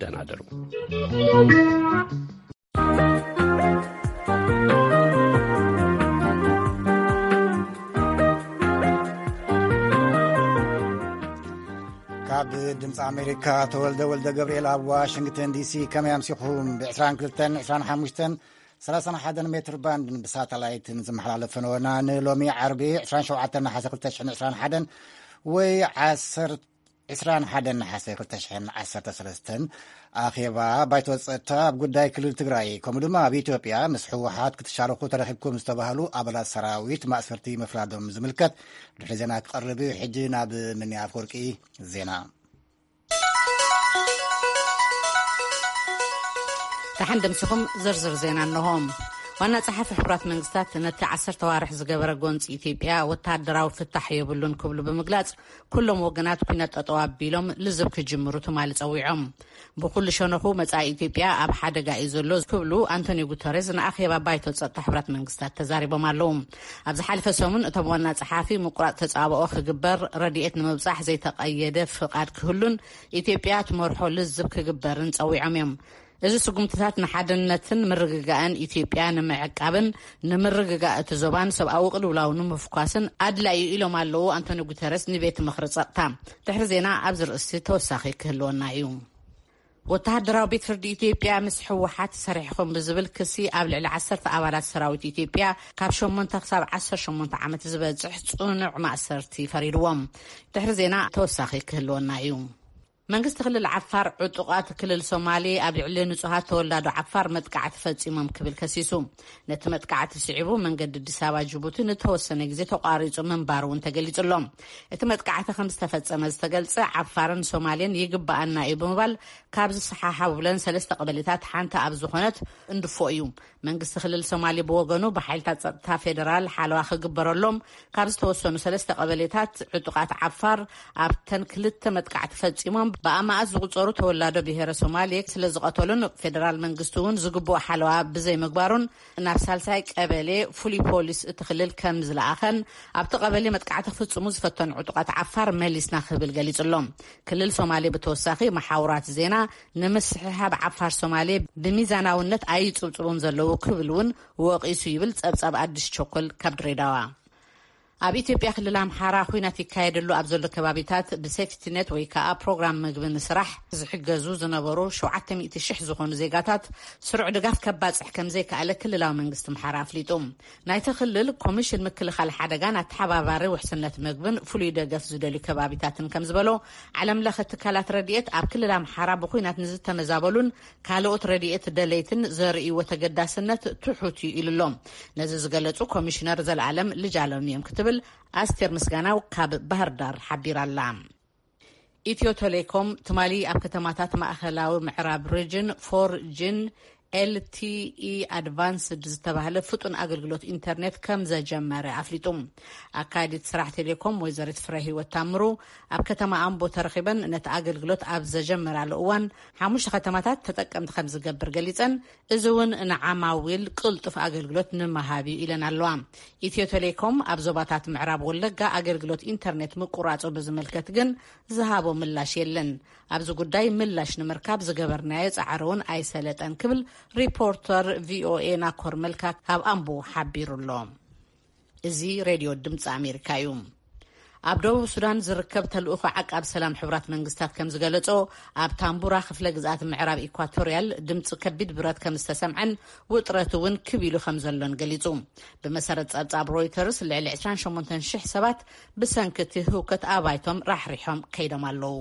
ደህና ደሩ። ካብ ድምፂ ኣሜሪካ ተወልደ ወልደ ገብርኤል ኣብ ዋሽንግተን ዲሲ። ከመይ ኣምሲኹም? ብ22፣ 25፣ 31 ሜትር ባንድን ብሳተላይትን ዝመሓላለፈ ነበና። ንሎሚ ዓርቢ 27 ነሓሰ 2021 ወይ 10 21 ነሓሰ 2013 ኣኼባ ባይቶ ጸጥታ ኣብ ጉዳይ ክልል ትግራይ፣ ከምኡ ድማ ኣብ ኢትዮጵያ ምስ ህወሓት ክትሻረኹ ተረኺብኩም ዝተባህሉ ኣባላት ሰራዊት ማእሰርቲ ምፍራዶም ዝምልከት ድሕሪ ዜና ክቐርብ እዩ። ሕጂ ናብ ምንያ ኣፈወርቂ ዜና። ደሓን ደምሲኹም። ዝርዝር ዜና እንሆ። ዋና ጸሓፊ ሕቡራት መንግስታት ነቲ ዓሰርተ ዋርሕ ዝገበረ ጎንፂ ኢትዮጵያ ወተሃደራዊ ፍታሕ የብሉን ክብሉ ብምግላጽ፣ ኩሎም ወገናት ኩነት ጠጠው ኣቢሎም ልዝብ ክጅምሩ ትማሊ ጸዊዖም። ብኩሉ ሸነኹ መጻኢ ኢትዮጵያ ኣብ ሓደጋ እዩ ዘሎ ክብሉ ኣንቶኒዮ ጉተሬዝ ንኣኼባ ባይቶ ጸጥታ ሕቡራት መንግስታት ተዛሪቦም ኣለዉ። ኣብ ዝሓለፈ ሰሙን እቶም ዋና ጸሓፊ ምቁራጽ ተጻብኦ ክግበር፣ ረድኤት ንምብጻሕ ዘይተቐየደ ፍቓድ ክህሉን ኢትዮጵያ ትመርሖ ልዝብ ክግበርን ጸዊዖም እዮም። እዚ ስጉምትታት ንሓድነትን ምርግጋእን ኢትዮጵያ ንምዕቃብን ንምርግጋእ እቲ ዞባን ሰብኣዊ ቅልውላው ንምፍኳስን ኣድላዩ ኢሎም ኣለዉ ኣንቶኒ ጉተረስ ንቤት ምኽሪ ጸጥታ። ድሕሪ ዜና ኣብዚ ርእሲ ተወሳኺ ክህልወና እዩ። ወተሃደራዊ ቤት ፍርዲ ኢትዮጵያ ምስ ህወሓት ሰሪሕኹም ብዝብል ክሲ ኣብ ልዕሊ ዓሰርተ ኣባላት ሰራዊት ኢትዮጵያ ካብ ሸሞንተ ክሳብ ዓሰርተ ሸሞንተ ዓመት ዝበጽሕ ጽኑዕ ማእሰርቲ ፈሪድዎም። ድሕሪ ዜና ተወሳኺ ክህልወና እዩ። መንግስቲ ክልል ዓፋር ዕጡቓት ክልል ሶማሌ ኣብ ልዕሊ ንጹሃት ተወላዶ ዓፋር መጥቃዕቲ ፈጺሞም ክብል ከሲሱ። ነቲ መጥቃዕቲ ስዒቡ መንገዲ ኣዲስ ኣበባ ጅቡቲ ንተወሰነ ግዜ ተቋሪጹ ምንባሩ እውን ተገሊጹ ኣሎ። እቲ መጥቃዕቲ ከም ዝተፈጸመ ዝተገልጸ ዓፋርን ሶማሌን ይግባኣና እዩ ብምባል ካብ ዝሰሓሓቡለን ሰለስተ ቀበሌታት ሓንቲ ኣብ ዝኾነት እንድፎ እዩ። መንግስቲ ክልል ሶማሌ ብወገኑ ብሓይልታት ጸጥታ ፌደራል ሓለዋ ክግበረሎም ካብ ዝተወሰኑ ሰለስተ ቀበሌታት ዕጡቓት ዓፋር ኣብተን ክልተ መጥቃዕቲ ፈጺሞም ብኣማኣት ዝቑጸሩ ተወላዶ ብሄረ ሶማሌ ስለ ዝቐተሉን ፌደራል መንግስቲ እውን ዝግብኦ ሓለዋ ብዘይምግባሩን ናብ ሳልሳይ ቀበሌ ፍሉይ ፖሊስ እቲ ክልል ከም ዝለኣኸን ኣብቲ ቀበሌ መጥቃዕቲ ክፍጽሙ ዝፈተኑ ዕጡቓት ዓፋር መሊስና ክብል ገሊጹ ኣሎ። ክልል ሶማሌ ብተወሳኺ መሓውራት ዜና ንምስሕሓብ ዓፋር ሶማሌ ብሚዛናውነት ኣይጽብጽቡን ዘለዉ ክብል እውን ወቒሱ ይብል ጸብጻብ ኣዲስ ቸኮል ካብ ድሬዳዋ። ኣብ ኢትዮጵያ ክልል ኣምሓራ ኲናት ይካየደሉ ኣብ ዘሎ ከባቢታት ብሴፍቲኔት ወይ ከዓ ፕሮግራም ምግቢ ንስራሕ ዝሕገዙ ዝነበሩ ሸውዓተ ሚእቲ ሺሕ ዝኾኑ ዜጋታት ስሩዕ ድጋፍ ከባጽሕ ከም ዘይከኣለ ክልላዊ መንግስቲ ኣምሓራ ኣፍሊጡ። ናይቲ ክልል ኮሚሽን ምክልኻል ሓደጋን ኣተሓባባሪ ውሕስነት ምግብን ፍሉይ ደገፍ ዝደልዩ ከባቢታትን ከም ዝበሎ፣ ዓለም ለኸ ትካላት ረድኤት ኣብ ክልል ኣምሓራ ብኹናት ንዝተመዛበሉን ካልኦት ረድኤት ደለይትን ዘርእይዎ ተገዳስነት ትሑት እዩ ኢሉ ኣሎ። ነዚ ዝገለጹ ኮሚሽነር ዘልኣለም ልጃለም እዮም ክትብል ኣስቴር ምስጋናው ካብ ባህር ዳር ሓቢራ ኣላ። ኢትዮ ቴሌኮም ትማሊ ኣብ ከተማታት ማእኸላዊ ምዕራብ ሪጅን ፎር ጂን ኤልቲኢ ኣድቫንስድ ዝተባህለ ፍጡን ኣገልግሎት ኢንተርኔት ከም ዘጀመረ ኣፍሊጡ። ኣካያዲት ስራሕ ቴሌኮም ወይዘሪት ፍረ ህይወት ታምሩ ኣብ ከተማ ኣምቦ ተረኺበን ነቲ ኣገልግሎት ኣብ ዘጀመራሉ እዋን ሓሙሽተ ከተማታት ተጠቀምቲ ከም ዝገብር ገሊፀን፣ እዚ እውን ንዓማዊል ቅልጡፍ ኣገልግሎት ንምሃብ እዩ ኢለን ኣለዋ። ኢትዮ ቴሌኮም ኣብ ዞባታት ምዕራብ ወለጋ ኣገልግሎት ኢንተርኔት ምቁራፁ ብዝምልከት ግን ዝሃቦ ምላሽ የለን። ኣብዚ ጉዳይ ምላሽ ንምርካብ ዝገበርናዮ ጻዕሪ እውን ኣይሰለጠን ክብል ሪፖርተር ቪኦኤ ናኮር መልካ ካብ ኣምቦ ሓቢሩ ኣሎ። እዚ ሬድዮ ድምፂ ኣሜሪካ እዩ። ኣብ ደቡብ ሱዳን ዝርከብ ተልእኾ ዓቃብ ሰላም ሕቡራት መንግስታት ከም ዝገለጾ፣ ኣብ ታምቡራ ክፍለ ግዝኣት ምዕራብ ኢኳቶርያል ድምፂ ከቢድ ብረት ከም ዝተሰምዐን ውጥረት እውን ክብ ኢሉ ከም ዘሎን ገሊጹ። ብመሰረት ጸብጻብ ሮይተርስ፣ ልዕሊ ዕስራን ሸሞንተን ሽሕ ሰባት ብሰንኪ እቲ ህውከት ኣባይቶም ራሕሪሖም ከይዶም ኣለዉ።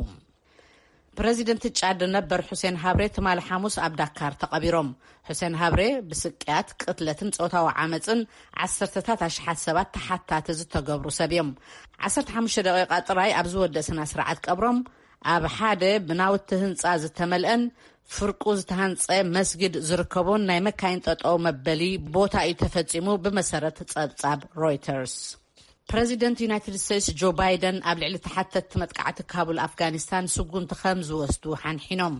ፕረዚደንት ጫድ ነበር ሑሴን ሃብሬ ትማሊ ሓሙስ ኣብ ዳካር ተቐቢሮም። ሑሴን ሃብሬ ብስቅያት፣ ቅትለትን ጾታዊ ዓመጽን ዓሰርተታት ኣሽሓት ሰባት ተሓታቲ ዝተገብሩ ሰብ እዮም። ዓሰርተ ሓሙሽተ ደቂቓ ጥራይ ኣብ ዝወደእ ስነ ስርዓት ቀብሮም፣ ኣብ ሓደ ብናውቲ ህንጻ ዝተመልአን ፍርቁ ዝተሃንጸ መስጊድ ዝርከቦን ናይ መካይን ጠጠው መበሊ ቦታ እዩ ተፈጺሙ፣ ብመሰረት ጸብጻብ ሮይተርስ። ፕረዚደንት ዩናይትድ ስቴትስ ጆ ባይደን ኣብ ልዕሊ ተሓተትቲ መጥቃዕቲ ካቡል ኣፍጋኒስታን ስጉምቲ ከም ዝወስዱ ሓንሒኖም።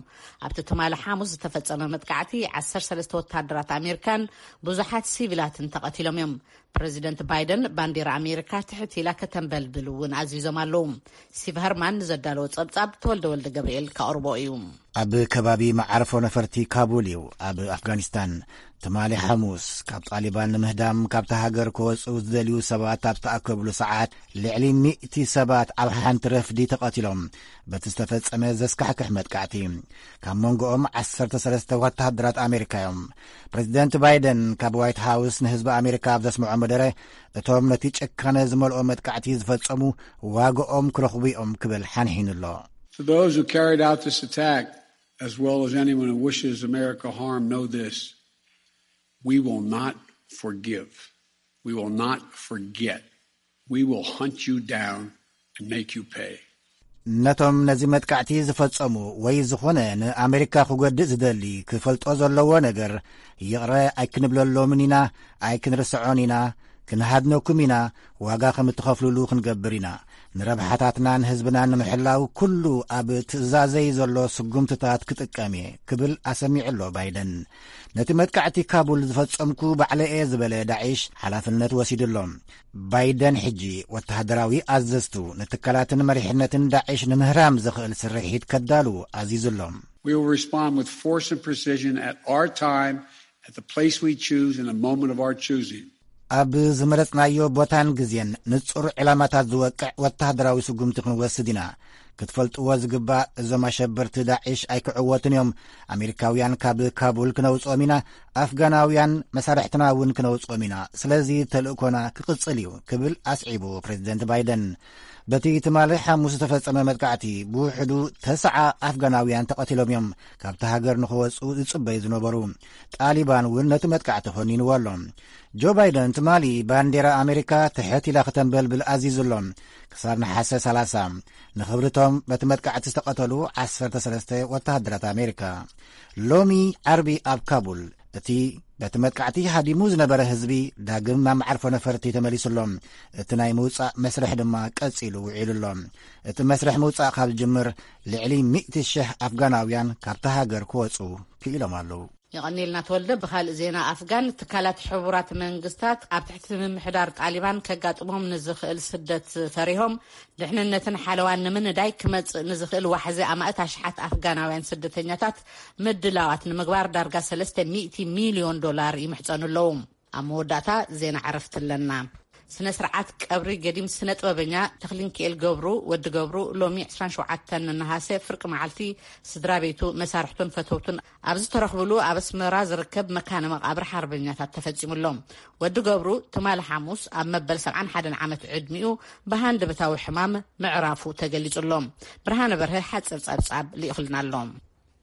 ኣብቲ ትማሊ ሓሙስ ዝተፈጸመ መጥቃዕቲ ዓሰርተ ሰለስተ ወታደራት ኣሜሪካን ብዙሓት ሲቪላትን ተቐቲሎም እዮም። ፕረዚደንት ባይደን ባንዲራ ኣሜሪካ ትሕት ኢላ ከተንበልብል እውን ኣዚዞም ኣለዉ። ስቲቭ ሀርማን ንዘዳለዎ ጸብጻብ ተወልደ ወልደ ገብርኤል ከቕርቦ እዩ። ኣብ ከባቢ መዓርፎ ነፈርቲ ካቡል እዩ፣ ኣብ ኣፍጋኒስታን። ትማሊ ሓሙስ፣ ካብ ጣሊባን ንምህዳም ካብታ ሃገር ክወጹ ዝደልዩ ሰባት ኣብ ዝተኣከብሉ ሰዓት፣ ልዕሊ ሚእቲ ሰባት ኣብ ሓንቲ ረፍዲ ተቐቲሎም፣ በቲ ዝተፈጸመ ዘስካሕክሕ መጥቃዕቲ። ካብ መንጎኦም ዓሰርተ ሰለስተ ወተሃደራት ኣሜሪካ እዮም። ፕሬዚደንት ባይደን ካብ ዋይት ሃውስ ንህዝቢ ኣሜሪካ ኣብ ዘስምዖ መደረ፣ እቶም ነቲ ጭካነ ዝመልኦ መጥቃዕቲ ዝፈጸሙ ዋጋኦም ክረኽቡ እዮም ክብል ሓንሒኑ ኣሎ። For those who carried out this attack, as well as anyone who wishes America harm, know this: we will not forgive. We will not forget. We will hunt you down and make you pay. ነቶም ነዚ መጥቃዕቲ ዝፈጸሙ ወይ ዝኾነ ንኣሜሪካ ክጎድእ ዝደሊ ክፈልጦ ዘለዎ ነገር፣ ይቕረ ኣይክንብለሎምን ኢና፣ ኣይክንርስዖን ኢና፣ ክንሃድነኩም ኢና፣ ዋጋ ከም እትኸፍሉሉ ክንገብር ኢና። ንረብሓታትናን ህዝብናን ንምሕላው ኩሉ ኣብ ትእዛዘይ ዘሎ ስጉምትታት ክጥቀም እየ ክብል ኣሰሚዑ ኣሎ ባይደን። ነቲ መጥቃዕቲ ካቡል ዝፈጸምኩ ባዕለየ ዝበለ ዳዒሽ ሓላፍነት ወሲዱ ኣሎ። ባይደን ሕጂ ወተሃደራዊ ኣዘዝቱ ንትካላትን መሪሕነትን ዳዒሽ ንምህራም ዘኽእል ስርሒት ከዳሉ ኣዚዙ ኣሎ። We will respond with force and precision at our time, at the place we choose, in the moment of our choosing. ኣብ ዝመረጽናዮ ቦታን ግዜን ንጹር ዕላማታት ዝወቅዕ ወተሃደራዊ ስጉምቲ ክንወስድ ኢና። ክትፈልጥዎ ዝግባእ፣ እዞም ኣሸበርቲ ዳዒሽ ኣይክዕወቱን እዮም። ኣሜሪካውያን ካብ ካቡል ክነውጽኦም ኢና፣ ኣፍጋናውያን መሳርሕትና እውን ክነውጽኦም ኢና። ስለዚ ተልእኮና ክቕጽል እዩ ክብል ኣስዒቡ ፕሬዚደንት ባይደን። በቲ ትማሊ ሓሙስ ዝተፈጸመ መጥቃዕቲ ብውሕዱ ተስዓ ኣፍጋናውያን ተቐቲሎም እዮም፣ ካብቲ ሃገር ንኽወጹ ዝጽበዩ ዝነበሩ። ጣሊባን እውን ነቲ መጥቃዕቲ ኮኒንዎ ኣሎ። ጆ ባይደን ትማሊ ባንዴራ ኣሜሪካ ትሕት ኢላ ክተንበልብል ኣዚዙ ኣሎ። ክሳብ ነሓሰ ሰላሳ፣ ንኽብርቶም በቲ መጥቃዕቲ ዝተቐተሉ ዓሰርተ ሰለስተ ወተሃደራት ኣሜሪካ። ሎሚ ዓርቢ ኣብ ካቡል፣ እቲ በቲ መጥቃዕቲ ሃዲሙ ዝነበረ ህዝቢ ዳግም ናብ መዓርፎ ነፈርቲ ተመሊሱ ኣሎ። እቲ ናይ ምውጻእ መስርሕ ድማ ቀጺሉ ውዒሉ ኣሎ። እቲ መስርሕ ምውጻእ ካብ ዝጅምር፣ ልዕሊ ሚእቲ ሽሕ ኣፍጋናውያን ካብታ ሃገር ክወጹ ክኢሎም ኣለዉ። የቐኒልና ተወልደ። ብኻልእ ዜና ኣፍጋን፣ ትካላት ሕቡራት መንግስታት ኣብ ትሕቲ ምምሕዳር ጣሊባን ከጋጥሞም ንዝኽእል ስደት ፈሪሆም፣ ድሕንነትን ሓለዋን ንምንዳይ ክመጽእ ንዝኽእል ዋሕዚ ኣማእት ኣሽሓት ኣፍጋናውያን ስደተኛታት ምድላዋት ንምግባር ዳርጋ ሰለስተ ሚእቲ ሚልዮን ዶላር ይምሕጸኑ ኣለዉ። ኣብ መወዳእታ ዜና ዕረፍቲ ኣለና። ስነ ስርዓት ቀብሪ ገዲም ስነ ጥበበኛ ተኽሊንክኤል ገብሩ፣ ወዲ ገብሩ፣ ሎሚ ዕስራን ሸውዓተን ነሃሰ ፍርቂ መዓልቲ ስድራ ቤቱ፣ መሳርሕቱን ፈተውቱን ኣብ ዝተረኽብሉ ኣብ ኣስመራ ዝርከብ መካነ መቓብር ሓርበኛታት ተፈጺሙ ኣሎ። ወዲ ገብሩ ትማሊ ሓሙስ ኣብ መበል ሰብዓን ሓደን ዓመት ዕድሚኡ ብሃንደበታዊ ሕማም ምዕራፉ ተገሊጹ ኣሎ። ብርሃነ በርሀ ሓጺር ጸብጻብ ልኢኹልና ኣሎ።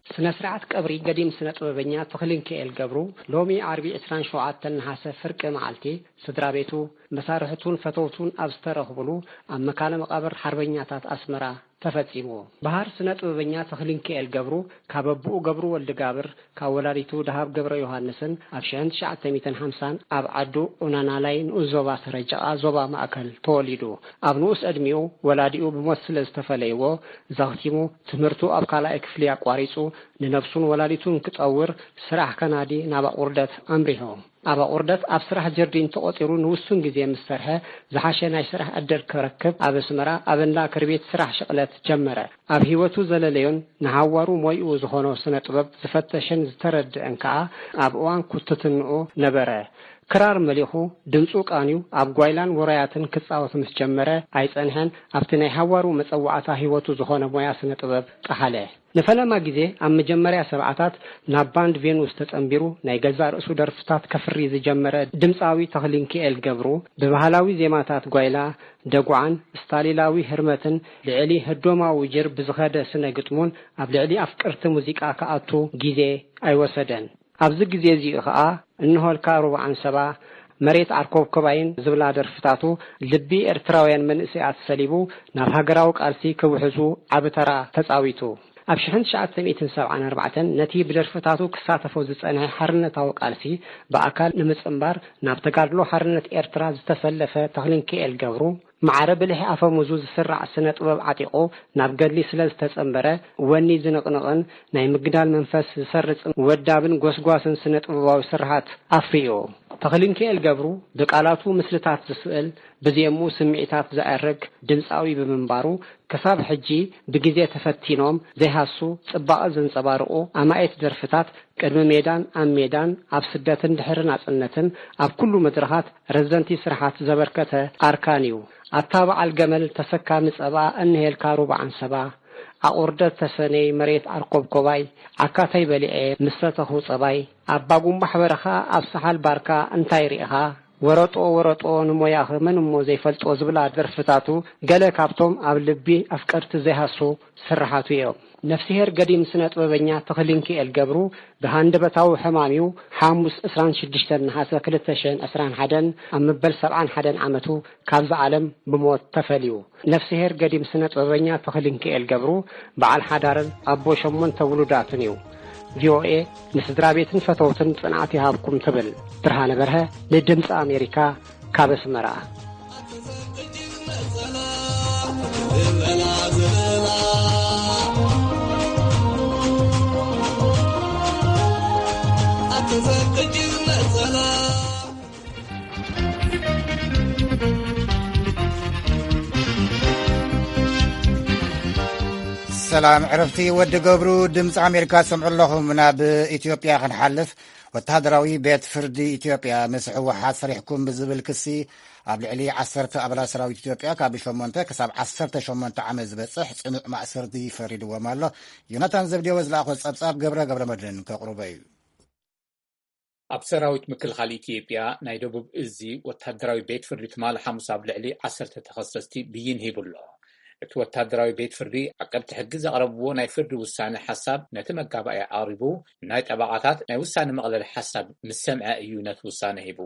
ስነ ስርዓት ቀብሪ ገዲም ስነ ጥበበኛ ተኽሊንክኤል ገብሩ ሎሚ ዓርቢ ዕስራን ሸውዓተን ነሓሰ ፍርቂ መዓልቲ ስድራ ቤቱ፣ መሳርሕቱን ፈተውቱን ኣብ ዝተረኽብሉ ኣብ መካነ መቓብር ሓርበኛታት ኣስመራ ተፈጺሙ። በሃር ስነ ጥበበኛ ተኽሊንክኤል ገብሩ ካብ ኣቦኡ ገብሩ ወልደጋብር፣ ካብ ወላዲቱ ደሃብ ገብረ ዮሃንስን ኣብ ሽሕን ትሽዓተ ሚእትን ሓምሳን ኣብ ዓዱ ኡናናላይ ንኡስ ዞባ ሰረጀቓ ዞባ ማእከል ተወሊዱ። ኣብ ንኡስ ዕድሚኡ ወላዲኡ ብሞት ስለ ዝተፈለይዎ፣ ዘኽቲሙ ትምህርቱ ኣብ ካልኣይ ክፍሊ ኣቋሪጹ፣ ንነብሱን ወላዲቱን ክጠውር ስራሕ ከናዲ ናብ ኣቑርደት ኣምሪሑ። ኣብ ኣቑርደት ኣብ ስራሕ ጀርዲን ተቖጺሩ ንውሱን ግዜ ምስ ሰርሐ፣ ዝሓሸ ናይ ስራሕ ዕድል ክረክብ ኣብ ኣስመራ ኣብ እንዳ ክርቢት ስራሕ ሽቕለት ጀመረ። ኣብ ህይወቱ ዘለለዮን ንሃዋሩ ሞይኡ ዝኾኖ ስነ ጥበብ ዝፈተሸን ዝተረድአን ከኣ ኣብ እዋን ኩትትንኡ ነበረ። ክራር መሊኹ፣ ድምጹ ቃንዩ፣ ኣብ ጓይላን ውራያትን ክጻወት ምስ ጀመረ ኣይጸንሐን፣ ኣብቲ ናይ ሃዋሩ መጸዋዕታ ህይወቱ ዝኾነ ሞያ ስነ ጥበብ ጠሓለ። ንፈለማ ግዜ ኣብ መጀመርያ ሰብዓታት ናብ ባንድ ቬኑስ ተጸንቢሩ ናይ ገዛእ ርእሱ ደርፍታት ከፍሪ ዝጀመረ ድምጻዊ ተኽሊንክኤል ገብሩ፣ ብባህላዊ ዜማታት ጓይላ፣ ደጉዓን ስታሊላዊ ህርመትን ልዕሊ ህዶማዊ ጅር ብዝኸደ ስነ ግጥሙን ኣብ ልዕሊ ኣፍቀርቲ ሙዚቃ ክኣቱ ግዜ ኣይወሰደን። ኣብዚ ግዜ እዚ ኸኣ እንሆልካ ሩብዓን ሰባ፣ መሬት ዓርኮብኮባይን ዝብላ ደርፍታቱ ልቢ ኤርትራውያን መንእሰያት ሰሊቡ ናብ ሃገራዊ ቃልሲ ክውሕዙ ዓቢ ተራ ተጻዊቱ። ኣብ ሽሕን ትሽዓተ ሚእትን ሰብዓን ኣርባዕተን ነቲ ብደርፍታቱ ክሳተፎ ዝጸንሐ ሓርነታዊ ቃልሲ ብኣካል ንምጽንባር ናብ ተጋድሎ ሓርነት ኤርትራ ዝተሰለፈ ተኽሊንክኤል ገብሩ፣ ማዕረ ብልሒ ኣፈሙዙ ዝስራዕ ስነ ጥበብ ዓጢቑ ናብ ገድሊ ስለ ዝተጸንበረ፣ ወኒ ዝንቕንቕን ናይ ምግዳል መንፈስ ዝሰርጽን ወዳብን ጎስጓስን ስነ ጥበባዊ ስርሓት ኣፍርዩ። ተኽሊንኪኤል ገብሩ ብቃላቱ ምስልታት ዝስእል፣ ብዜምኡ ስምዒታት ዘዕርግ ድምጻዊ ብምንባሩ፣ ክሳብ ሕጂ ብግዜ ተፈቲኖም ዘይሃሱ ጽባቐ ዘንጸባርቑ ኣማኢት ደርፍታት፣ ቅድሚ ሜዳን ኣብ ሜዳን፣ ኣብ ስደትን ድሕሪ ናጽነትን፣ ኣብ ኩሉ መድረኻት ረዘንቲ ስርሓት ዘበርከተ ኣርካን እዩ። ኣታ በዓል ገመል ተሰካሚ ጸባ፣ እንሄልካ ሩባ ዓንሰባ፣ ኣቑርደት ተሰነይ መሬት ኣርኮብኮባይ፣ ዓካተይ በሊዐ ምስ ሰተኹ ጸባይ፣ ኣባ ጉንባሕ በረኻ ኣብ ሰሓል ባርካ እንታይ ርኢኻ? ወረጦ ወረጦ ንሞያኺ መን እሞ ዘይፈልጦ ዝብላ ደርፍታቱ ገለ ካብቶም ኣብ ልቢ ኣፍቀርቲ ዘይሃሱ ስርሓቱ እዮም። ነፍስሄር ገዲም ስነ ጥበበኛ ተኽሊንኪኤል ገብሩ ብሃንደበታዊ ሕማም እዩ ሓሙስ ዕስራን ሽዱሽተን ነሓሰ ክልተ ሽሕን ዕስራን ሓደን ኣብ መበል ሰብዓን ሓደን ዓመቱ ካብዚ ዓለም ብሞት ተፈልዩ። ነፍስሄር ገዲም ስነ ጥበበኛ ተኽሊንኪኤል ገብሩ በዓል ሓዳርን ኣቦ ሸሞንተ ውሉዳትን እዩ። ቪኦኤ ንስድራ ቤትን ፈተውትን ጽንዓት ይሃብኩም ትብል። ብርሃነ በርሀ ንድምፂ ኣሜሪካ ካብ ኣስመራ። ሰላም ዕረፍቲ ወዲ ገብሩ፣ ድምፂ ኣሜሪካ ትሰምዑ ኣለኹም። ናብ ኢትዮጵያ ክንሓልፍ፣ ወተሃደራዊ ቤት ፍርዲ ኢትዮጵያ ምስ ህወሓት ሰሪሕኩም ብዝብል ክሲ ኣብ ልዕሊ ዓሰርተ ኣባላት ሰራዊት ኢትዮጵያ ካብ ሸሞንተ ክሳብ ዓሰርተ ሸሞንተ ዓመት ዝበፅሕ ፅኑዕ ማእሰርቲ ፈሪድዎም ኣሎ። ዮናታን ዘብዴዎስ ዝለኣኾ ፀብፃብ ገብረ ገብረ መድህን ከቕርቦ እዩ። ኣብ ሰራዊት ምክልኻል ኢትዮጵያ ናይ ደቡብ እዚ ወተሃደራዊ ቤት ፍርዲ ትማሊ ሓሙስ ኣብ ልዕሊ ዓሰርተ ተኸሰስቲ ብይን ሂቡ ኣሎ። እቲ ወተሃደራዊ ቤት ፍርዲ ዓቀብቲ ሕጊ ዘቕረብዎ ናይ ፍርዲ ውሳነ ሓሳብ ነቲ መጋባእያ ኣቕሪቡ፣ ናይ ጠበቓታት ናይ ውሳነ መቕለሊ ሓሳብ ምስ ሰምዐ እዩ ነቲ ውሳነ ሂቡ።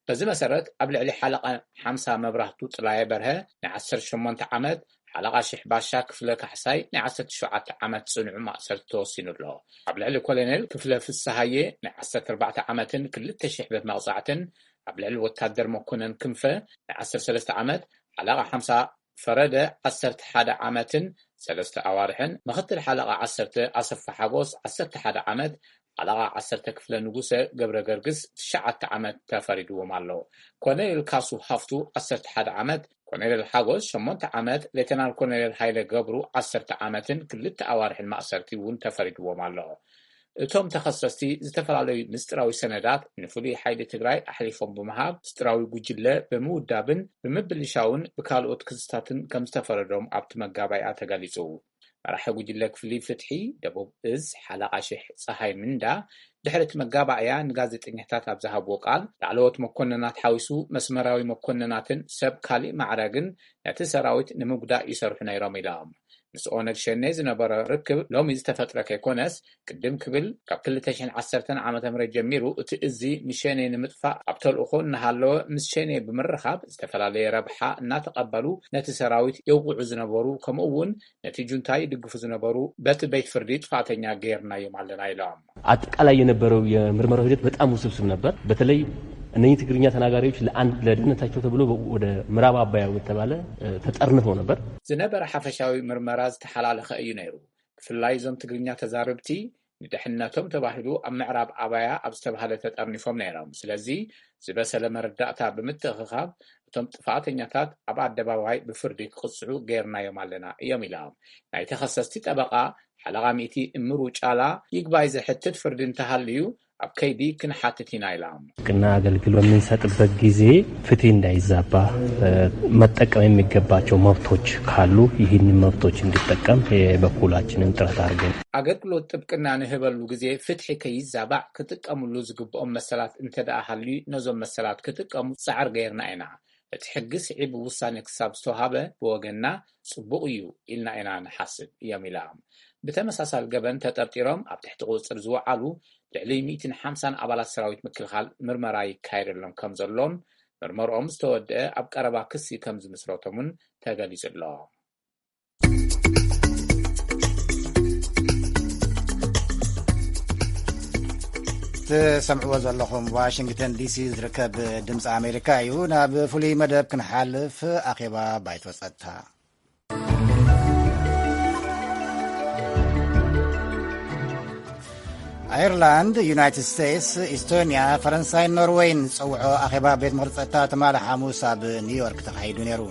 በዚ መሰረት ኣብ ልዕሊ ሓለቓ ሓምሳ መብራህቱ ጥላየ በርሀ ናይ ዓሰርተ ሸሞንተ ዓመት፣ ሓለቓ ሽሕ ባሻ ክፍለ ካሕሳይ ናይ ዓሰርተ ሸውዓተ ዓመት ጽኑዕ ማእሰርቲ ተወሲኑ ኣሎ። ኣብ ልዕሊ ኮሎኔል ክፍለ ፍስሃየ ናይ ዓሰርተ ኣርባዕተ ዓመትን ክልተ ሽሕ ብር መቕጻዕትን፣ ኣብ ልዕሊ ወታደር መኮነን ክንፈ ናይ ዓሰርተ ሰለስተ ዓመት፣ ሓለቓ ሓምሳ ፈረደ ዓሰርተ ሓደ ዓመትን ሰለስተ ኣዋርሕን፣ ምኽትል ሓለቓ ዓሰርተ ኣሰፋ ሓጎስ ዓሰርተ ሓደ ዓመት፣ ሓለቓ ዓሰርተ ክፍለ ንጉሰ ገብረ ገርግስ ትሽዓተ ዓመት ተፈሪድዎም ኣሎ። ኮሎኔል ካሱ ሃፍቱ ዓሰርተ ሓደ ዓመት፣ ኮሎኔል ሓጎስ ሸሞንተ ዓመት፣ ሌተናል ኮሎኔል ሃይለ ገብሩ ዓሰርተ ዓመትን ክልተ ኣዋርሕን ማእሰርቲ እውን ተፈሪድዎም ኣሎ። እቶም ተኸሰስቲ ዝተፈላለዩ ምስጢራዊ ሰነዳት ንፍሉይ ሓይሊ ትግራይ ኣሕሊፎም ብምሃብ፣ ምስጢራዊ ጉጅለ ብምውዳብን ብምብልሻውን ብካልኦት ክስታትን ከም ዝተፈረዶም ኣብቲ መጋባእያ ተገሊጹ። መራሒ ጉጅለ ክፍሊ ፍትሒ ደቡብ እዝ ሓለቓ ሽሕ ጸሃይ ምንዳ ድሕሪ እቲ መጋባእያ ንጋዜጠኛታት ኣብ ዝሃብዎ ቃል፣ ላዕለዎት መኮንናት ሓዊሱ መስመራዊ መኮንናትን ሰብ ካሊእ ማዕረግን ነቲ ሰራዊት ንምጉዳእ ይሰርሑ ነይሮም ኢሎም። ምስ ኦነግ ሸኔ ዝነበሮ ርክብ ሎሚ ዝተፈጥረ ከይኮነስ፣ ቅድም ክብል ካብ ክልተ ሽሕን ዓሰርተን ዓመተ ምህረት ጀሚሩ እቲ እዚ ንሸኔ ንምጥፋእ ኣብ ተልእኾ እናሃለወ ምስ ሸኔ ብምርኻብ ዝተፈላለየ ረብሓ እናተቐበሉ ነቲ ሰራዊት የውቕዑ ዝነበሩ፣ ከምኡ እውን ነቲ ጁንታ ይድግፉ ዝነበሩ በቲ ቤት ፍርዲ ጥፋተኛ ገይርናዮም ኣለና ኢሎም። አጠቃላይ የነበረው የምርመራው ሂደት በጣም ውስብስብ ነበር። በተለይ እነኚህ ትግርኛ ተናጋሪዎች ለአንድ ለደህንነታቸው ተብሎ ወደ ምዕራብ አባያ ወደተባለ ተጠርንፈው ነበር። ዝነበረ ሓፈሻዊ ምርመራ ዝተሓላለኸ እዩ ነይሩ። ብፍላይ እዞም ትግርኛ ተዛረብቲ ንድሕነቶም ተባሂሉ ኣብ ምዕራብ ኣባያ ኣብ ዝተባህለ ተጠርኒፎም ነይሮም። ስለዚ ዝበሰለ መረዳእታ ብምትእኽኻብ እቶም ጥፋተኛታት ኣብ ኣደባባይ ብፍርዲ ክቕፅዑ ገይርናዮም ኣለና እዮም ኢሎም። ናይ ተኸሰስቲ ጠበቓ ሓለቓ ሚእቲ እምሩ ጫላ ይግባይ ዘሕትት ፍርዲ እንተሃልዩ ኣብ ከይዲ ክንሓትት ኢና ኢሎም። ሕክምና አገልግሎት በምንሰጥበት ጊዜ ፍትህ እንዳይዛባ መጠቀም የሚገባቸው መብቶች ካሉ ይህንን መብቶች እንዲጠቀም የበኩላችንን ጥረት አድርገን። አገልግሎት ጥብቅና ንህበሉ ጊዜ ፍትሒ ከይዛባዕ ክጥቀምሉ ዝግብኦም መሰላት እንተደኣ ሃልዩ ነዞም መሰላት ክጥቀሙ ጻዕር ገይርና ኢና። እቲ ሕጊ ስዒቡ ውሳኔ ክሳብ ዝተውሃበ ብወገንና ጽቡቕ እዩ ኢልና ኢና ንሓስብ እዮም ኢሎም። ብተመሳሳሊ ገበን ተጠርጢሮም ኣብ ትሕቲ ቁጽጽር ዝወዓሉ ልዕሊ ሚእትን ሓምሳን ኣባላት ሰራዊት ምክልኻል ምርመራ ይካየደሎም ከም ዘሎን ምርመርኦም ዝተወደአ ኣብ ቀረባ ክሲ ከም ዝምስረቶም እውን ተገሊጹ ኣሎ። ትሰምዕዎ ዘለኹም ዋሽንግተን ዲሲ ዝርከብ ድምፂ ኣሜሪካ እዩ። ናብ ፍሉይ መደብ ክንሓልፍ፣ ኣኼባ ባይቶ ጸጥታ። ኣየርላንድ፣ ዩናይትድ ስቴትስ፣ ኢስቶንያ፣ ፈረንሳይን ኖርወይን ዝጸውዖ ኣኼባ ቤት ምኽሪ ጸጥታ ትማሊ ሓሙስ ኣብ ኒውዮርክ ተኻሂዱ ነይሩ።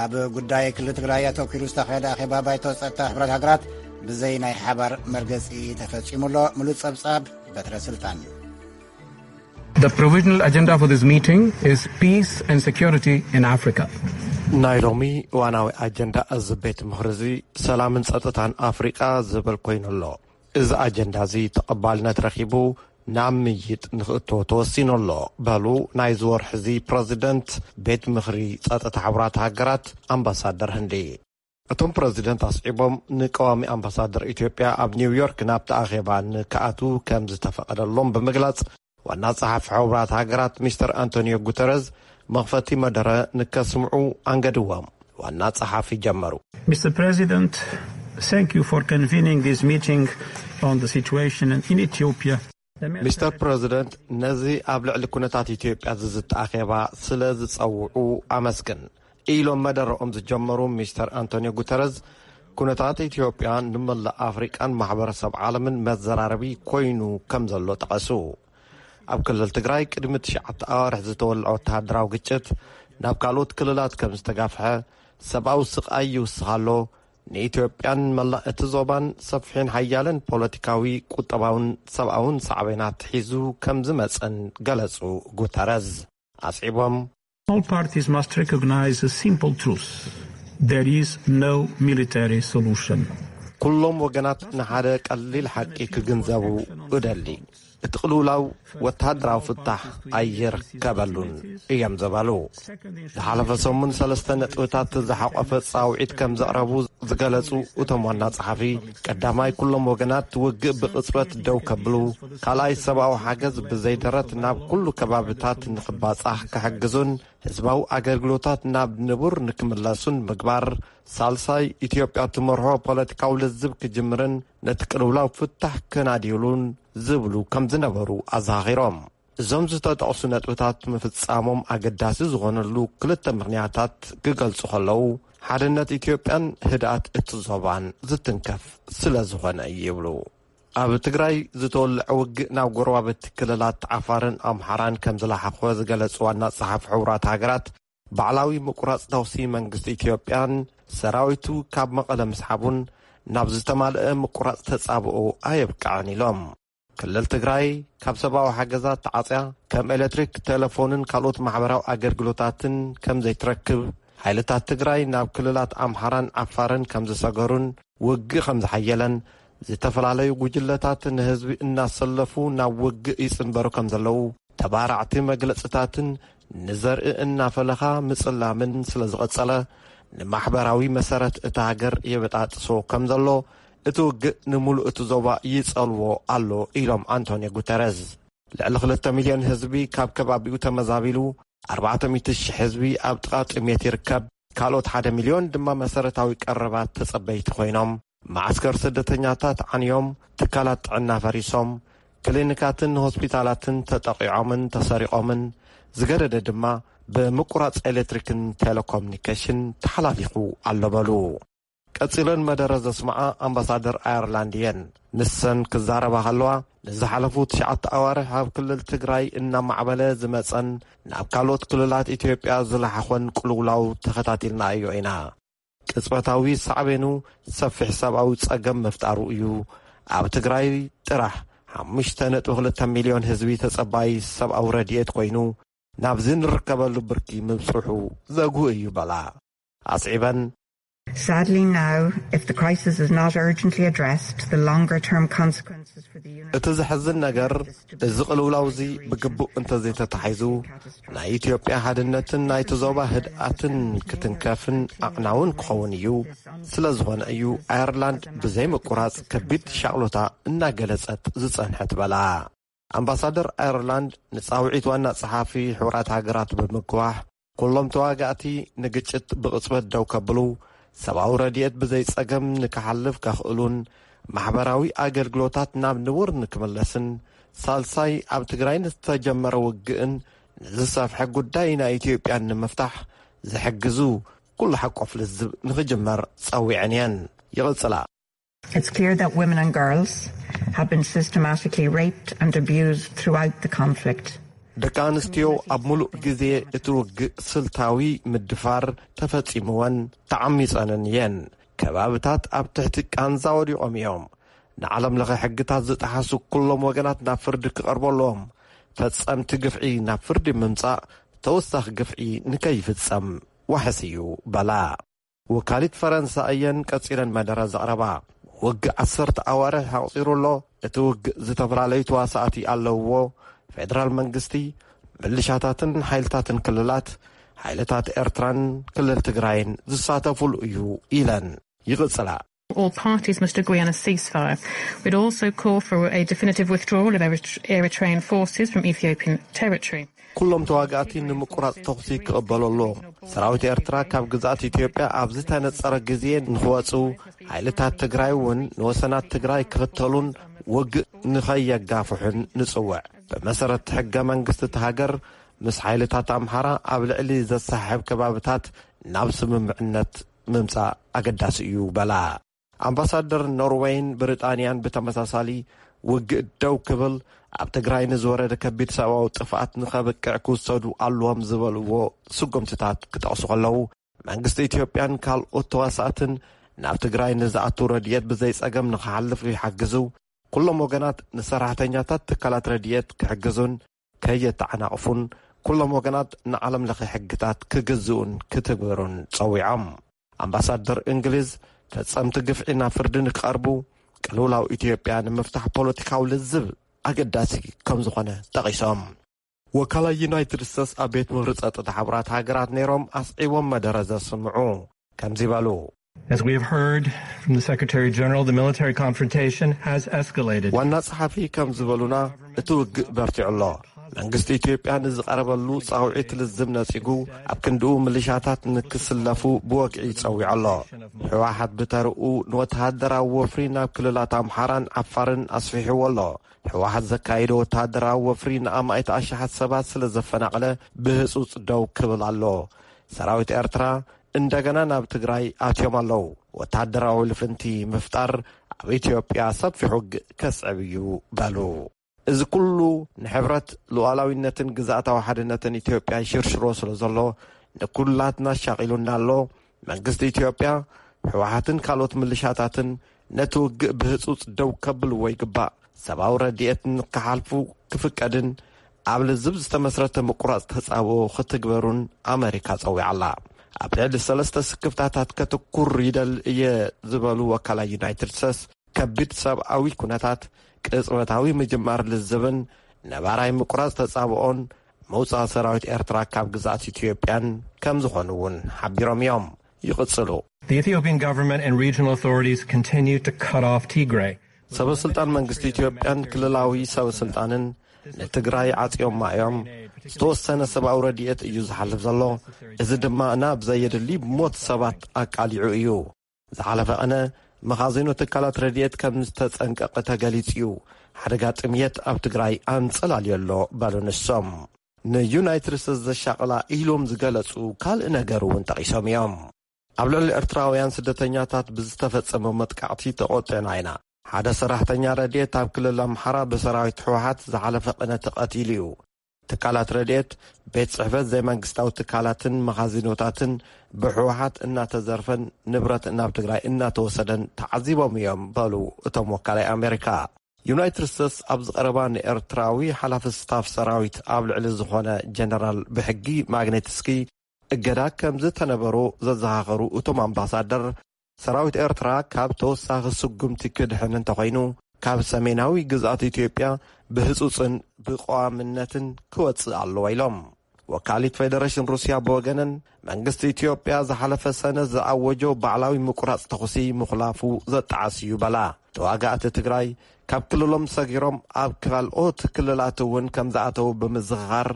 ኣብ ጉዳይ ክልል ትግራይ ኣተኲሩ ዝተኻየደ ኣኼባ ባይቶ ጸጥታ ሕቡራት ሃገራት ብዘይ ናይ ሓባር መርገጺ ተፈጺሙ ኣሎ። ምሉእ ጸብጻብ በትረ ስልጣን። The provisional agenda for this meeting is peace and security in Africa. ናይ ሎሚ ዋናዊ ኣጀንዳ እዚ ቤት ምኽሪ እዚ ሰላምን ጸጥታን ኣፍሪቃ ዝብል ኮይኑ ኣሎ። እዚ ኣጀንዳ እዚ ተቐባልነት ረኺቡ ናብ ምይይጥ ንኽእቶ ተወሲኑ ኣሎ፣ በሉ ናይዚ ወርሒ እዚ ፕረዚደንት ቤት ምኽሪ ጸጥታ ሕቡራት ሃገራት ኣምባሳደር ህንዲ። እቶም ፕረዚደንት ኣስዒቦም፣ ንቀዋሚ ኣምባሳደር ኢትዮጵያ ኣብ ኒውዮርክ ናብቲ ኣኼባ ንክኣትዉ ከም ዝተፈቐደሎም ብምግላጽ፣ ዋና ጸሓፊ ሕቡራት ሃገራት ሚስተር ኣንቶኒዮ ጉተረዝ መኽፈቲ መደረ ንከስምዑ ኣንገድዎም። ዋና ጸሓፊ ጀመሩ። Mister President, thank you for convening this meeting on the situation in Ethiopia. ሚስተር ፕረዚደንት፣ ነዚ ኣብ ልዕሊ ኩነታት ኢትዮጵያ ዝዝቲ ኣኼባ ስለ ዝጸውዑ ኣመስግን፣ ኢሎም መደረኦም ዝጀመሩ ሚስተር ኣንቶኒዮ ጉተረዝ፣ ኩነታት ኢትዮጵያ ንመላእ ኣፍሪቃን ማሕበረሰብ ዓለምን መዘራረቢ ኮይኑ ከም ዘሎ ጠቐሱ። ኣብ ክልል ትግራይ ቅድሚ ትሽዓተ ኣዋርሕ ዝተወልዐ ወተሃደራዊ ግጭት ናብ ካልኦት ክልላት ከም ዝተጋፍሐ፣ ሰብኣዊ ስቓይ ይውስኽ ኣሎ፣ ንኢትዮጵያን መላእ እቲ ዞባን ሰፊሕን ሓያልን ፖለቲካዊ፣ ቁጠባውን ሰብኣውን ሳዕቤናት ሒዙ ከም ዝመጸን ገለጹ። ጉተረዝ ኣስዒቦም፣ All parties must recognize a simple truth. There is no military solution. ኩሎም ወገናት ንሓደ ቀሊል ሓቂ ክግንዘቡ እደሊ። እቲ ቅልውላው ወተሃደራዊ ፍታሕ ኣይርከበሉን እዮም ዝበሉ። ዝሓለፈ ሰሙን ሰለስተ ነጥብታት ዝሓቆፈ ጻውዒት ከም ዘቕረቡ ዝገለጹ እቶም ዋና ጸሓፊ፣ ቀዳማይ ኩሎም ወገናት ውግእ ብቕጽበት ደው ከብሉ፣ ካልኣይ ሰብኣዊ ሓገዝ ብዘይደረት ናብ ኩሉ ከባብታት ንኽባጻሕ ክሕግዙን ህዝባዊ ኣገልግሎታት ናብ ንቡር ንክምለሱን ምግባር፣ ሳልሳይ ኢትዮጵያ ትመርሖ ፖለቲካዊ ልዝብ ክጅምርን ነቲ ቅልውላው ፍታሕ ከናድዩሉን ዝብሉ ከም ዝነበሩ ኣዘኻኺሮም። እዞም ዝተጠቕሱ ነጥብታት ምፍጻሞም ኣገዳሲ ዝኾነሉ ክልተ ምኽንያታት ክገልጹ ከለዉ፣ ሓድነት ኢትዮጵያን ህድኣት እቲ ዞባን ዝትንከፍ ስለ ዝኾነ እዩ ይብሉ። ኣብ ትግራይ ዝተወልዐ ውግእ ናብ ጎረባብቲ ክልላት ዓፋርን ኣምሓራን ከም ዝለሓኾ ዝገለጹ ዋና ጸሓፊ ሕቡራት ሃገራት፣ ባዕላዊ ምቁራጽ ተኹሲ መንግስቲ ኢትዮጵያን ሰራዊቱ ካብ መቐለ ምስሓቡን ናብ ዝተማልአ ምቁራጽ ተጻብኦ ኣየብቅዐን ኢሎም። ክልል ትግራይ ካብ ሰብኣዊ ሓገዛት ተዓጽያ፣ ከም ኤሌክትሪክ፣ ቴሌፎንን ካልኦት ማሕበራዊ ኣገልግሎታትን ከም ዘይትረክብ፣ ሓይልታት ትግራይ ናብ ክልላት ኣምሓራን ዓፋርን ከም ዝሰገሩን ውግእ ከም ዝሓየለን፣ ዝተፈላለዩ ጉጅለታት ንህዝቢ እናሰለፉ ናብ ውግእ ይጽንበሩ ከም ዘለዉ ተባራዕቲ መግለጽታትን ንዘርኢ እናፈለኻ ምጽላምን ስለ ዝቐጸለ፣ ንማሕበራዊ መሰረት እታ ሃገር የበጣጥሶ ከም ዘሎ፣ እቲ ውግእ ንምሉእ እቲ ዞባ ይጸልዎ ኣሎ ኢሎም ኣንቶኒዮ ጉተረዝ። ልዕሊ ክልተ ሚልዮን ህዝቢ ካብ ከባቢኡ ተመዛቢሉ፣ ኣርባዕተ ሚእቲ ሽሕ ህዝቢ ኣብ ጥቓ ጥሜት ይርከብ። ካልኦት ሓደ ሚልዮን ድማ መሰረታዊ ቀረባት ተጸበይቲ ኮይኖም፣ መዓስከር ስደተኛታት ዓንዮም፣ ትካላት ጥዕና ፈሪሶም፣ ክሊኒካትን ሆስፒታላትን ተጠቒዖምን ተሰሪቖምን፣ ዝገደደ ድማ ብምቁራጽ ኤሌክትሪክን ቴሌኮሙኒኬሽን ተሓላሊኹ ኣሎ በሉ። ቀጺለን መደረ ዘስምዓ ኣምባሳደር ኣየርላንድ እየን። ንሰን ክዛረባ ከለዋ፣ ንዝሓለፉ ትሽዓተ ኣዋርሕ ኣብ ክልል ትግራይ እናማዕበለ ዝመጸን ናብ ካልኦት ክልላት ኢትዮጵያ ዝለሓኾን ቅልውላው ተኸታቲልናዮ ኢና። ቅጽበታዊ ሳዕቤኑ ሰፊሕ ሰብኣዊ ጸገም ምፍጣሩ እዩ። ኣብ ትግራይ ጥራሕ ሓሙሽተ ነጥቢ ክልተ ሚልዮን ህዝቢ ተጸባይ ሰብኣዊ ረድኤት ኮይኑ፣ ናብዚ ንርከበሉ ብርኪ ምብጽሑ ዘጉህ እዩ በላ። ኣስዒበን፣ Sadly, now, if the crisis is not urgently addressed, the longer term consequences for the unit. እቲ ዘሕዝን ነገር፣ እዚ ቅልውላው እዚ ብግቡእ እንተዘይተታሒዙ፣ ናይ ኢትዮጵያ ሓድነትን ናይቲ ዞባ ህድኣትን ክትንከፍን ኣዕናውን ክኸውን እዩ። ስለ ዝኾነ እዩ ኣየርላንድ ብዘይ ምቁራጽ ከቢድ ሻቕሎታ እናገለጸት ዝጸንሐት በላ። ኣምባሳደር ኣየርላንድ ንጻውዒት ዋና ጸሓፊ ሕቡራት ሃገራት ብምግዋሕ፣ ኩሎም ተዋጋእቲ ንግጭት ብቕጽበት ደው ከብሉ፣ ሰብኣዊ ረድኤት ብዘይ ጸገም ንክሓልፍ ከኽእሉን ማሕበራዊ ኣገልግሎታት ናብ ንቡር ንክምለስን ሳልሳይ ኣብ ትግራይ ንዝተጀመረ ውግእን ንዝሰፍሐ ጉዳይ ናይ ኢትዮጵያን ንምፍታሕ ዝሕግዙ ኩሉ ሓቆፍ ልዝብ ንክጅመር ጸዊዐን እየን። ይቕጽላ። It's clear that women and girls have been systematically raped and abused throughout the conflict. ደቂ ኣንስትዮ ኣብ ሙሉእ ግዜ እቲ ውግእ ስልታዊ ምድፋር ተፈጺምወን ተዓሚጸንን እየን። ከባብታት ኣብ ትሕቲ ቃንዛ ወዲቖም እዮም። ንዓለም ለኸ ሕግታት ዝጠሓሱ ኩሎም ወገናት ናብ ፍርዲ ክቐርቡ ኣለዎም። ፈጸምቲ ግፍዒ ናብ ፍርዲ ምምጻእ ተወሳኺ ግፍዒ ንከይፍጸም ዋሕስ እዩ በላ። ወካሊት ፈረንሳ እየን ቀጺለን መደረ ዘቕረባ። ውግእ ዓሰርተ ኣዋርሕ ኣቑጺሩ ኣሎ። እቲ ውግእ ዝተፈላለዩ ተዋሳእቲ ኣለውዎ። ፌደራል መንግስቲ፣ ምልሻታትን ሓይልታትን ክልላት፣ ሓይልታት ኤርትራን ክልል ትግራይን ዝሳተፉሉ እዩ ኢለን ይቕጽላ። All parties must agree on a ceasefire. We'd also call for a definitive withdrawal of Erit- Eritrean forces from Ethiopian territory. ኩሎም ተዋጋእቲ ንምቁራጽ ተኹሲ ክቕበሉ ኣለዎም። ሰራዊት ኤርትራ ካብ ግዝኣት ኢትዮጵያ ኣብ ዝተነጸረ ግዜ ንኽወጹ፣ ሓይልታት ትግራይ እውን ንወሰናት ትግራይ ክኽተሉን ውግእ ንኸየጋፍሑን ንጽውዕ። ብመሰረት ሕገ መንግስቲ እቲ ሃገር፣ ምስ ሓይልታት ኣምሓራ ኣብ ልዕሊ ዘሰሓሕብ ከባብታት ናብ ስምምዕነት ምምጻእ ኣገዳሲ እዩ በላ። ኣምባሳደር ኖርወይን ብሪጣንያን ብተመሳሳሊ ውግእ ደው ክብል፣ ኣብ ትግራይ ንዝወረደ ከቢድ ሰብኣዊ ጥፍኣት ንኸብቅዕ ክውሰዱ ኣለዎም ዝበልዎ ስጉምትታት ክጠቕሱ ከለዉ፣ መንግስቲ ኢትዮጵያን ካልኦት ተዋሳእትን ናብ ትግራይ ንዝኣቱ ረድኤት ብዘይጸገም ንኽሓልፍ ይሓግዙ። ኩሎም ወገናት ንሰራሕተኛታት ትካላት ረድኤት ክሕግዙን ከየተዓናቕፉን፣ ኩሎም ወገናት ንዓለም ለኸ ሕግታት ክግዝኡን ክትግብሩን ጸዊዖም። ኣምባሳደር እንግሊዝ፣ ፈጸምቲ ግፍዒ ናብ ፍርዲ ንክቐርቡ፣ ቅልውላው ኢትዮጵያ ንምፍታሕ ፖለቲካዊ ልዝብ ኣገዳሲ ከም ዝኾነ ጠቒሶም። ወካላይ ዩናይትድ ስቴትስ ኣብ ቤት ምኽሪ ጸጥታ ሕቡራት ሃገራት ነይሮም ኣስዒቦም መደረ ዘስምዑ ከምዚ በሉ። As we have heard from the Secretary General, the military confrontation has escalated. ዋና ጸሓፊ ከም ዝበሉና፣ እቲ ውግእ በርቲዑ ኣሎ። መንግስቲ ኢትዮጵያ ንዝቐረበሉ ጻውዒት ልዝብ ነጺጉ፣ ኣብ ክንድኡ ምልሻታት ንክስለፉ ብወግዒ ጸዊዑ ኣሎ። ህወሓት ብተርኡ ንወተሃደራዊ ወፍሪ ናብ ክልላት ኣምሓራን ዓፋርን ኣስፊሕዎ ኣሎ። ህወሓት ዘካየዶ ወተሃደራዊ ወፍሪ ንኣማኢት ኣሽሓት ሰባት ስለ ዘፈናቕለ ብህጹጽ ደው ክብል ኣሎ። ሰራዊት ኤርትራ እንደገና ናብ ትግራይ ኣትዮም ኣለዉ። ወተሃደራዊ ልፍንቲ ምፍጣር ኣብ ኢትዮጵያ ሰፊሕ ውግእ ከስዕብ እዩ በሉ። እዚ ኩሉ ንሕብረት ሉዓላዊነትን ግዝኣታዊ ሓድነትን ኢትዮጵያ ይሽርሽሮ ስለ ዘሎ ንኩላትና ኣሻቒሉና ኣሎ። መንግስቲ ኢትዮጵያ፣ ህወሓትን ካልኦት ምልሻታትን ነቲ ውግእ ብህጹጽ ደው ከብልዎ ይግባእ። ሰብኣዊ ረድኤት ንክሓልፉ ክፍቀድን ኣብ ልዝብ ዝተመስረተ ምቁራጽ ተጻብኦ ክትግበሩን ኣመሪካ ጸዊዓ ኣላ። ኣብ ልዕሊ ሰለስተ ስክፍታታት ከተኩር ይደል እየ ዝበሉ ወካላይ ዩናይትድ ስቴትስ፣ ከቢድ ሰብኣዊ ኩነታት፣ ቅጽበታዊ ምጅማር ልዝብን ነባራይ ምቁራጽ ተጻብኦን ምውጻእ ሰራዊት ኤርትራ ካብ ግዝኣት ኢትዮጵያን ከም ዝኾኑ እውን ሓቢሮም እዮም። ይቕጽሉ። The Ethiopian government and regional authorities continue to cut off Tigray. ሰበ ስልጣን መንግስቲ ኢትዮጵያን ክልላዊ ሰበ ስልጣንን ንትግራይ ዓጽዮማ እዮም። ዝተወሰነ ሰብኣዊ ረድኤት እዩ ዝሓልፍ ዘሎ። እዚ ድማ ናብ ዘየድሊ ሞት ሰባት ኣቃሊዑ እዩ። ዝሓለፈ ቀነ መኻዚኖ ትካላት ረድኤት ከም ዝተጸንቀቐ ተገሊጹ እዩ። ሓደጋ ጥምየት ኣብ ትግራይ ኣንጸላልዮ ኣሎ በሉ ንሶም። ንዩናይትድ ስቴትስ ዘሻቕላ ኢሎም ዝገለጹ ካልእ ነገር እውን ጠቒሶም እዮም። ኣብ ልዕሊ ኤርትራውያን ስደተኛታት ብዝተፈጸመ መጥቃዕቲ ተቖጢዕና ኢና። ሓደ ሰራሕተኛ ረድኤት ኣብ ክልል ኣምሓራ ብሰራዊት ህወሓት ዝሓለፈ ቅነ ተቐቲሉ እዩ። ትካላት ረድኤት፣ ቤት ጽሕፈት ዘይመንግስታዊ ትካላትን መኻዚኖታትን ብህወሓት እናተዘርፈን ንብረት ናብ ትግራይ እናተወሰደን ተዓዚቦም እዮም በሉ እቶም ወካላይ ኣሜሪካ። ዩናይትድ ስቴትስ ኣብ ዝቐረባ ንኤርትራዊ ሓላፊ ስታፍ ሰራዊት ኣብ ልዕሊ ዝኾነ ጀነራል ብሕጊ ማግኔትስኪ እገዳ ከም ዝተነበሮ ዘዘኻኸሩ እቶም ኣምባሳደር፣ ሰራዊት ኤርትራ ካብ ተወሳኺ ስጉምቲ ክድሕን እንተኾይኑ፣ ካብ ሰሜናዊ ግዝኣት ኢትዮጵያ ብህጹጽን ብቐዋምነትን ክወጽእ ኣለዎ ኢሎም። ወካሊት ፌደሬሽን ሩስያ ብወገነን፣ መንግስቲ ኢትዮጵያ ዝሓለፈ ሰነ ዝኣወጆ ባዕላዊ ምቁራጽ ተኹሲ ምኹላፉ ዘጠዓስ እዩ በላ። ተዋጋእቲ ትግራይ ካብ ክልሎም ሰጊሮም ኣብ ካልኦት ክልላት እውን ከም ዝኣተዉ ብምዝኽኻር፣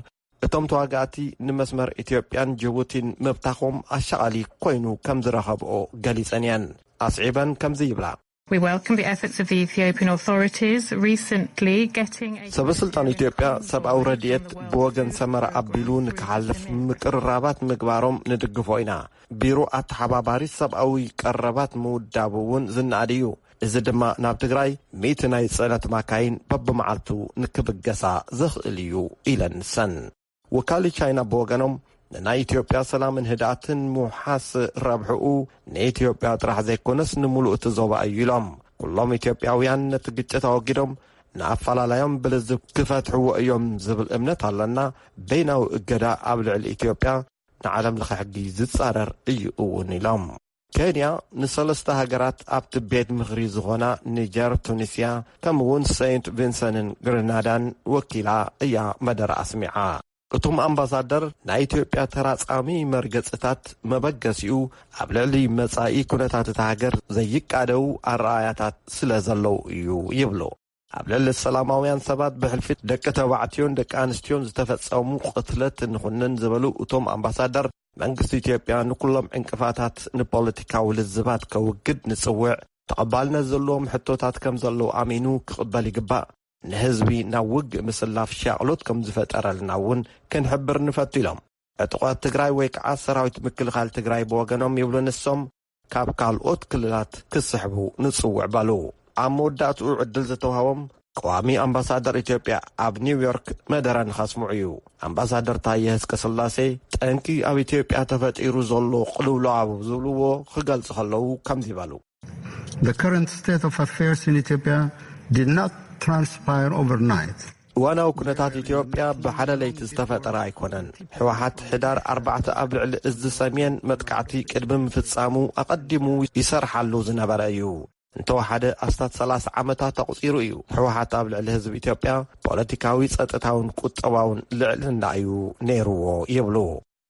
እቶም ተዋጋእቲ ንመስመር ኢትዮጵያን ጅቡቲን ምብታኾም ኣሻቓሊ ኮይኑ ከም ዝረኸብኦ ገሊጸን እየን። ኣስዒበን ከምዚ ይብላ። We welcome the efforts of the Ethiopian authorities recently getting a ሰበ ስልጣን ኢትዮጵያ ሰብኣዊ ረድኤት ብወገን ሰመራ ኣቢሉ ንክሓልፍ ምቅርራባት ምግባሮም ንድግፎ ኢና። ቢሮ ኣተሓባባሪ ሰብኣዊ ቀረባት ምውዳቡ እውን ዝነኣድ እዩ። እዚ ድማ ናብ ትግራይ ሚእቲ ናይ ጽዕነት ማካይን በብመዓልቱ ንክብገሳ ዘኽእል እዩ ኢለን ንሰን። ወካሊ ቻይና ብወገኖም ንናይ ኢትዮጵያ ሰላምን ህድኣትን ምውሓስ ረብሕኡ ንኢትዮጵያ ጥራሕ ዘይኮነስ ንምሉእ እቲ ዞባ እዩ ኢሎም። ኩሎም ኢትዮጵያውያን ነቲ ግጭት ኣወጊዶም ንኣፈላላዮም ብልዝብ ክፈትሕዎ እዮም ዝብል እምነት ኣለና። በይናዊ እገዳ ኣብ ልዕሊ ኢትዮጵያ ንዓለም ለኸ ሕጊ ዝጻረር እዩ እውን ኢሎም። ኬንያ ንሰለስተ ሃገራት ኣብቲ ቤት ምኽሪ ዝኾና ኒጀር፣ ቱኒስያ ከምኡውን ሰይንት ቪንሰንን ግሪናዳን ወኪላ እያ መደረ ኣስሚዓ። እቶም ኣምባሳደር ናይ ኢትዮጵያ ተራጻሚ መርገጽታት መበገሲኡ ኣብ ልዕሊ መጻኢ ኩነታት እታ ሃገር ዘይቃደው ኣረኣያታት ስለ ዘለዉ እዩ ይብሉ። ኣብ ልዕሊ ሰላማውያን ሰባት ብሕልፊ ደቂ ተባዕትዮን ደቂ ኣንስትዮን ዝተፈጸሙ ቅትለት እንኹንን ዝበሉ እቶም ኣምባሳደር መንግስቲ ኢትዮጵያ ንኩሎም ዕንቅፋታት ንፖለቲካዊ ልዝባት ከውግድ ንጽውዕ። ተቐባልነት ዘለዎም ሕቶታት ከም ዘለዉ ኣሚኑ ክቕበል ይግባእ። ንህዝቢ ናብ ውግእ ምስላፍ ሻቕሎት ከም ዝፈጠረልና እውን ክንሕብር ንፈቱ ኢሎም። ዕጡቓት ትግራይ ወይ ከዓ ሰራዊት ምክልኻል ትግራይ ብወገኖም ይብሉ ንሶም ካብ ካልኦት ክልላት ክስሕቡ ንጽውዕ በሉ። ኣብ መወዳእትኡ ዕድል ዝተዋህቦም ቀዋሚ ኣምባሳደር ኢትዮጵያ ኣብ ኒውዮርክ መደረ ንኸስምዑ እዩ። ኣምባሳደር ታየ ህዝቀ ስላሴ ጠንቂ ኣብ ኢትዮጵያ ተፈጢሩ ዘሎ ቅልውላው ዝብልዎ ክገልጹ ከለዉ ከምዚ በሉ። The current state of affairs in Ethiopia did not transpire overnight. እዋናዊ ኩነታት ኢትዮጵያ ብሓደ ለይቲ ዝተፈጠረ ኣይኮነን። ህወሓት ሕዳር ኣርባዕተ ኣብ ልዕሊ እዚ ሰሜን መጥቃዕቲ ቅድሚ ምፍጻሙ ኣቐዲሙ ይሰርሓሉ ዝነበረ እዩ። እንተወሓደ ኣስታት ሰላሳ ዓመታት ኣቑጺሩ እዩ። ህወሓት ኣብ ልዕሊ ህዝቢ ኢትዮጵያ ፖለቲካዊ፣ ጸጥታውን ቁጠባውን ልዕልና እዩ ነይርዎ ይብሉ።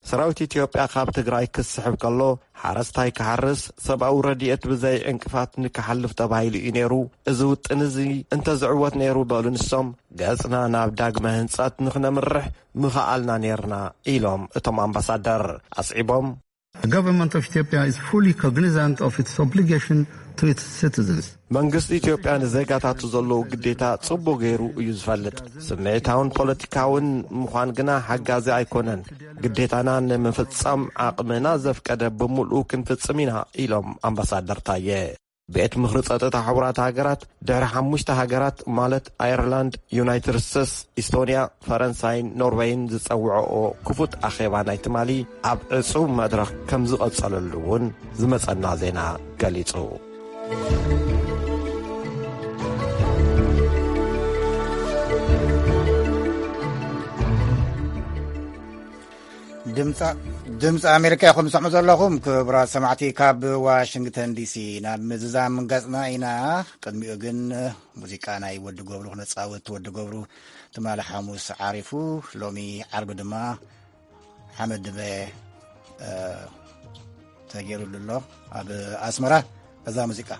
ሰራዊት ኢትዮጵያ ካብ ትግራይ ክስሕብ ከሎ ሓረስታይ ክሓርስ፣ ሰብኣዊ ረድኤት ብዘይ ዕንቅፋት ንክሓልፍ ተባሂሉ እዩ ነይሩ። እዚ ውጥን እዚ እንተዝዕወት ነይሩ በሉ ንሶም፣ ገጽና ናብ ዳግመ ህንጸት ንክነምርሕ ምኸኣልና ነይርና ኢሎም እቶም ኣምባሳደር። ኣስዒቦም The government of Ethiopia is fully cognizant of its obligation to its citizens. መንግስቲ ኢትዮጵያ ንዜጋታቱ ዘለዎ ግዴታ ጽቡቕ ገይሩ እዩ ዝፈልጥ። ስምዒታውን ፖለቲካውን ምዃን ግና ሓጋዚ ኣይኮነን። ግዴታና ንምፍጻም ዓቕምና ዘፍቀደ ብምሉኡ ክንፍጽም ኢና ኢሎም ኣምባሳደር ታየ። ቤት ምኽሪ ጸጥታ ሕቡራት ሃገራት ድሕሪ ሓሙሽተ ሃገራት ማለት ኣየርላንድ፣ ዩናይትድ ስቴትስ፣ ኢስቶንያ፣ ፈረንሳይን ኖርወይን ዝጸውዐኦ ክፉት ኣኼባ ናይ ትማሊ ኣብ ዕጹው መድረኽ ከም ዝቐጸለሉ እውን ዝመጸና ዜና ገሊጹ። ድምፂ ኣሜሪካ ኢኹም ትሰምዑ ዘለኹም። ክቡራት ሰማዕቲ፣ ካብ ዋሽንግተን ዲሲ ናብ ምዝዛም ገፅና ኢና። ቅድሚኡ ግን ሙዚቃ ናይ ወዲ ገብሩ ክነፃወት። ወዲ ገብሩ ትማሊ ሓሙስ ዓሪፉ፣ ሎሚ ዓርቢ ድማ ሓመድ ድመ ተገይሩሉ ኣሎ ኣብ ኣስመራ። እዛ ሙዚቃ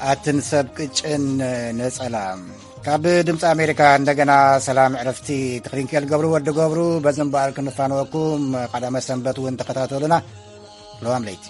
ኣትን ሰብ ቅጭን ነጸላ። ካብ ድምፂ ኣሜሪካ እንደገና ሰላም ዕረፍቲ። ትኽሪንኬል ገብሩ ወዲ ገብሩ፣ በዚ እምበኣር ክንፋነወኩም። ቀዳመ ሰንበት እውን ተኸታተሉና። ለዋም ለይቲ።